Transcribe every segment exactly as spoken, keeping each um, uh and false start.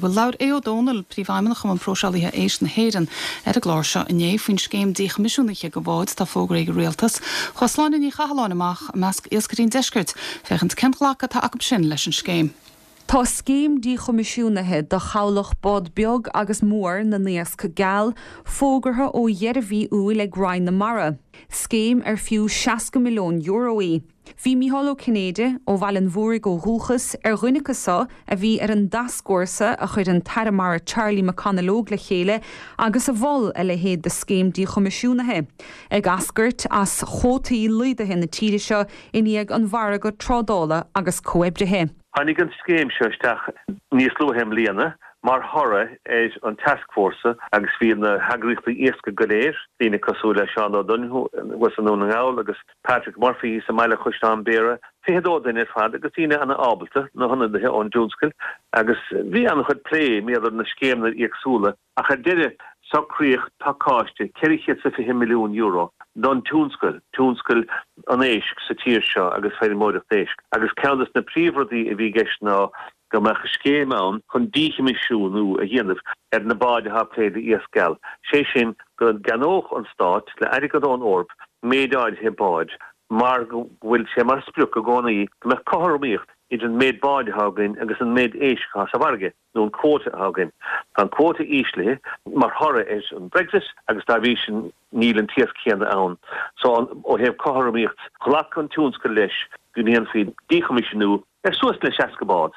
Bhuel labhair Aodh Ó Domhnaill, Príomhfheidhmeannach Chumann Próiseálaithe Éisc na hÉireann ar an gclár seo inné faoin scéim díchoimisiúnaithe do bháid atá fógraithe ag an rialtas. Chuaigh Sláine Ní Chathalláin amach i measc iascairí an deiscirt, féachaint cén glacadh atá acu sin leis an scéim. Tá scéim díchoimisiúnaithe do chabhlach bád beag agus mór na n-iasc geal fógartha ó dheireadh mhí Iúil ag Roinn na Mara. Scéim ar fiú seasca milliún euro í. Bhí Mícheál Ó Cinnéide ó Bhaile an Mhúraigh ó dhúchas ar dhuine acu seo a bhí ar an dtascfhórsa a chuir an tAire Mara Charlie McConalogue le chéile agus a mhol a leithéid de scéim díchoimisiúnaithe. Ag eascairt as cuótaí laghdaithe na tíre seo i ndiaidh an mhargaidh trádála agus comhoibrithe. Tháinig an scéim seo isteach níos luaithe i mbliana mar thoradh ar an tascfhórsa agus bhí na heagraíochtaí iascaigh go léir, daoine cosúil le Seán Ó Donoghue i nDún na nGall agus Patrick Murphy sa mBaile Chaisleán Bhéarra, fiche dó duine ar fad agus daoine an-ábalta, na hionadaithe ón dtionscal agus bhí an-chuid plé maidir na scéimeanna éagsúla ach ar deireadh socraíodh pacáiste ceithre chéad is fiche milliún euro don tionscal, tionscal an éisc sa tír seo agus feirmeoireacht éisc. Agus ceann de na príomhrudaí a bhí i gceist ná go mbeadh scéim ann chun díchoimisiúnú a dhéanamh ar na báid atá ag plé le iasc geal. Sé sin go gceannódh an stát le airgead ón Eoraip méid áirithe báid mar go bhfuil sé mar sprioc i gcónaí go mbeadh cothromaíocht idir an méid báid atá againn agus an méid éisc atá sa bhfarraige nó an cuóta atá againn. Tá an cuóta íslithe mar thoradh ar an Brexit agus dá bhrí sin níl an t-iasc céanna ann. So ó thaobh cothromaíocht, ghlac an tionscal leis go ndéanfaí díchoimisiúnú ar suas le seasca bád.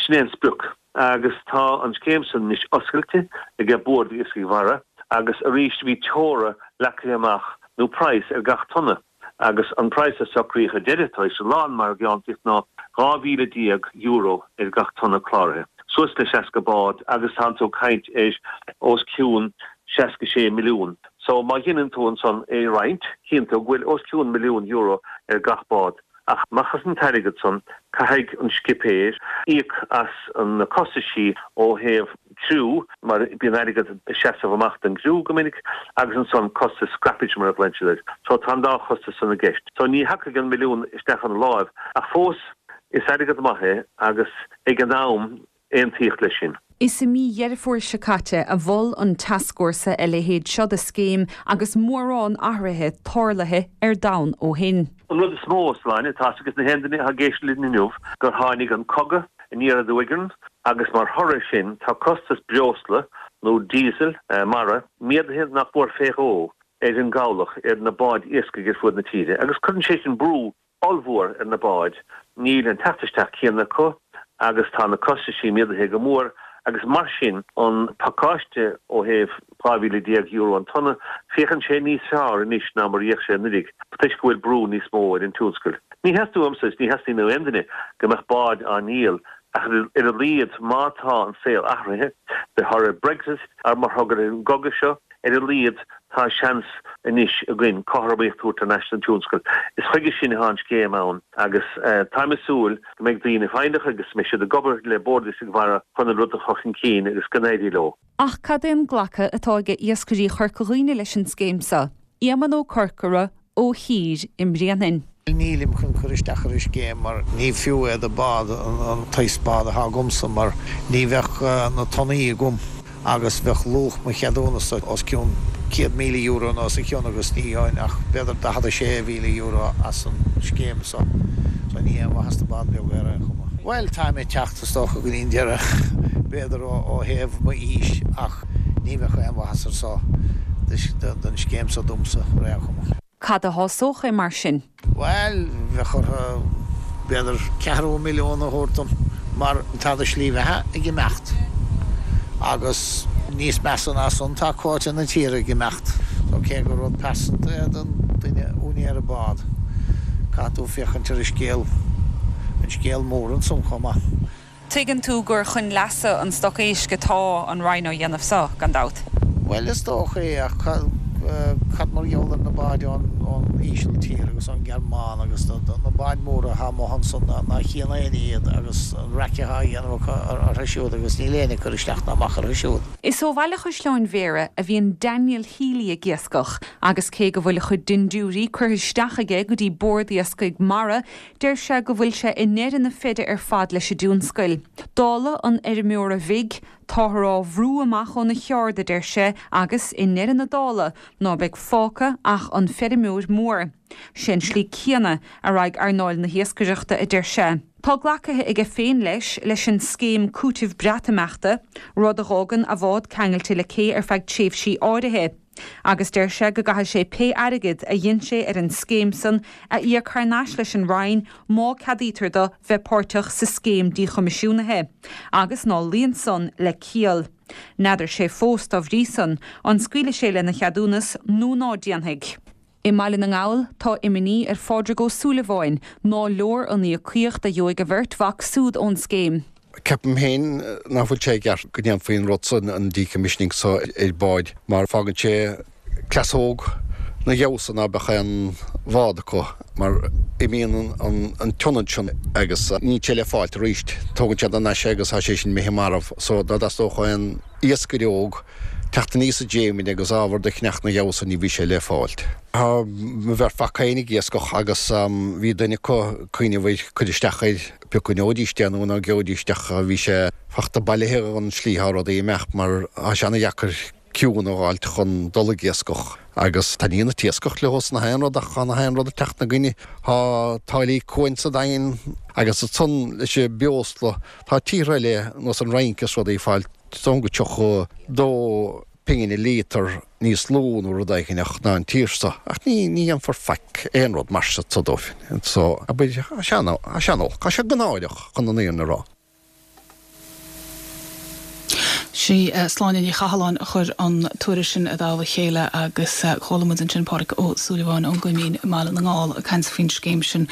Sin é an sprioc. Agus tá an scéim san anois oscailte ag Bord Iascaigh Mhara agus arís bhí teora leagtha amach nó praghas ar gach tonna. Agus an praghas a socraíodh ar deireadh tar éis a lán margaíochta ná dhá mhíle déag euro ar gach tonna cláraithe. Suas le seasca bád agus tá tú ag caint ar os cionn seasca sé milliún. So má dhéanann tú ansan é a roinnt, tchíonn tú go bhfuil os cionn milliún euro ar gach bád. Ach amach as an t-airgead san, caithfidh an scipéir íoc as na costaisí ó thaobh criú, mar bíonn airgead ag seasamh amach don gcriú go minic, agus ansan costas scrappage mar a ghlaonn siad air. So tá an dá chostas san i gceist. So ní thiocfaidh an milliún isteach ina láimh, ach fós is airgead maith é agus ag an am aontaíodh leis sin. Is i mí Dheireadh Fómhair seo caite a mhol an tascfhórsa a leithéid seo de scéim agus mórán athruithe tarlaithe ar domhan ó shin. An rud is mó, Sláine, tá a fhios ag na haon duine atá ag éisteacht linn inniu gur tháinig an cogadh aniar aduaidh orainn agus mar thoradh air sin tá costas breosla nó diesel mara méadaithe nach mór fé dhó ar an gcabhlach, ar na báid iascaigh ar fud na tíre agus cuireann sé sin brú ollmhór ar na báid, níl an teacht isteach céanna acu agus tá na costaisí méadaithe go mór agus mar sin an pacáiste ó thaobh dhá mhíle déag euro an tonna, féachann sé níos fearr anois ná mar a d'fhéach sé anuraidh toisc go bhfuil brú níos mó ar an tionscal. Ní theastaíonn uaimse is ní theastaíonn ó aon duine go mbeadh báid á ndíol ach ar a laghad má tá an saol athraithe de thoradh Brexit ar mar thoradh ar an gcogadh seo, Ar a laghad, tá seans anois againn cothromaíocht a thabhairt thar n-ais don tionscal. Is chuige sin atá an scéim ann agus táim ag súil go mbeidh daoine foighneach agus go mbeidh siad ag obair le Bord Iascaigh Mhara chun an rud a chur chun cinn agus go n-éirí leo. Ach cad é an glacadh atá ag iascairí Chorca Dhuibhne leis an scéim seo? Éamonn Ó Corcora ó Thír i mBréanainn. Nílim chun cur isteach ar an scéim mar ní fiú é do bád an tsaghas bád atá agamsa mar ní bheadh na tonnaí agam agus bheadh luach mo cheadúnasa os cionn céad míle euro nó os a chionn agus ní gheobhainn ach b'fhéidir daichead a sé mhíle euro as an scéim so so ní haon mhaitheas do bád beag ar aon chuma. Bhuel táim ag teacht is dócha go dtí an deireadh b'fhéidir ó thaobh m'aois ach ní bheadh aon mhaitheas ar so don scéim so domsa ar aon chuma. Cad a shásódh é mar sin? Bhuel, bheadh orthu b'fhéidir ceathrú milliún a thabhairt dom mar tá do shlí bheatha ag imeacht agus níos measa ná san tá cuóta na tíre ag imeacht. So cé gur rud pearsanta é don duine úinéara bád, caithfidh tú féachaint ar an scéal, an scéal mór ansan chomh maith. Tuigeann tú gur chun leasa an stoc éisc atá an Roinn á dhéanamh seo, gan dabht. Bhuel, is dócha é, ach Cad mar gheall ar na báid ón Ísiltír agus ón Ghearmáin agus na báid mhóra atá amuigh ansan ná chíonn éinne iad agus an raic atá á dhéanamh acu orthu siúd agus níl éinne ag cur isteach ná amach orthu siúd. Is ó Bhaile Chaisleáin Bhéarra a bhíonn Daniel Healy ag iascach agus cé go bhfuil a chuid dindiúirí curtha isteach aige go dtí Bord Iascaigh Mhara, deir sé go bhfuil sé i ndeireadh na feide ar fad leis an dtionscal. Dála an fheirmeora bhig, táthar á bhrú amach óna cheard, a deir sé, agus i ndeireadh na dála, ná beidh fágtha ach an feirmeoir mór. Sé an slí céanna a raghaidh earnáil na hiascaireachta, a deir sé. Tá glacaithe aige féin leis leis an scéim cúitimh Breatimeachta, rud a dh'fhágann a bhád ceangailte le cé ar feadh tréimhsí áirithe. Agus deir sé go gcaithfidh sé pé airgead a dhein sé ar an scéim san a íoc thar n-ais leis an Roinn má ceadaítear do bheith páirteach sa scéim díchoimisiúnaithe, agus ná luíonn san le ciall. N'fheadar sé fós dá bhrí san an scaoilfidh sé lena cheadúnas nó ná déanfaidh. I mBaile na nGall, tá imní ar Phádraig Ó Súilleabháin ná leor an íocaíocht a gheobhaidh a bheirt mhac súd ón scéim. Ceapaim féin nach bhfuil sé i gceart go ndéanfaí an rud san, an decommissioning so ar báid, mar fágann sé cleasóg na gheabhsa ná beadh aon bhád acu, mar imíonn an t-ionad sin agus níl sé le fáilt arís. Tógann siad thar n-ais é agus tá sé sin imithe marbh so dá dteastódh aon iascaire óg teacht aníos an dréimire agus ábhar do cheannach na gheabhsa ní bhí sé le fáilt. Tá mo bheirt mhac féin ag iascach agus bhí duine acu ag cuimhneamh ar cur isteach air pé acu an ngeobhaidís é nó ná geobhaidís ach bhí sé fachta bailithe an slí thá rudaí ag imeacht mar thá sé ana dheacair ciúin a dh'fháilt chun dul ag iascach agus taitníonn an t-iascach leo is nach aon rud ach thá nach aon rud ag teacht 'na gcoinne. Thá táillí cuain sa Daingean agus ansan leis an breosla tá tíortha eile ar nós an Fhrainc is rudaí ag fáil Is dóigh go tríocha dó pingin an líotar níos lú nó rud éigin ach ná an tír so. Ach ní ní dhéanfar faic aon rud mar seo so dóibh. So, abair, tá sé an, tá sé an-olc, tá sé náireach chun an fhírinne a rá. Sí Sláine Ní Chathalláin a chuir an tuairisc sin i dtoll a chéile agus chuala muid ansin Pádraig Ó Súilleabháin ón gCoimín i mBaile na nGall ag caint faoin scéim sin.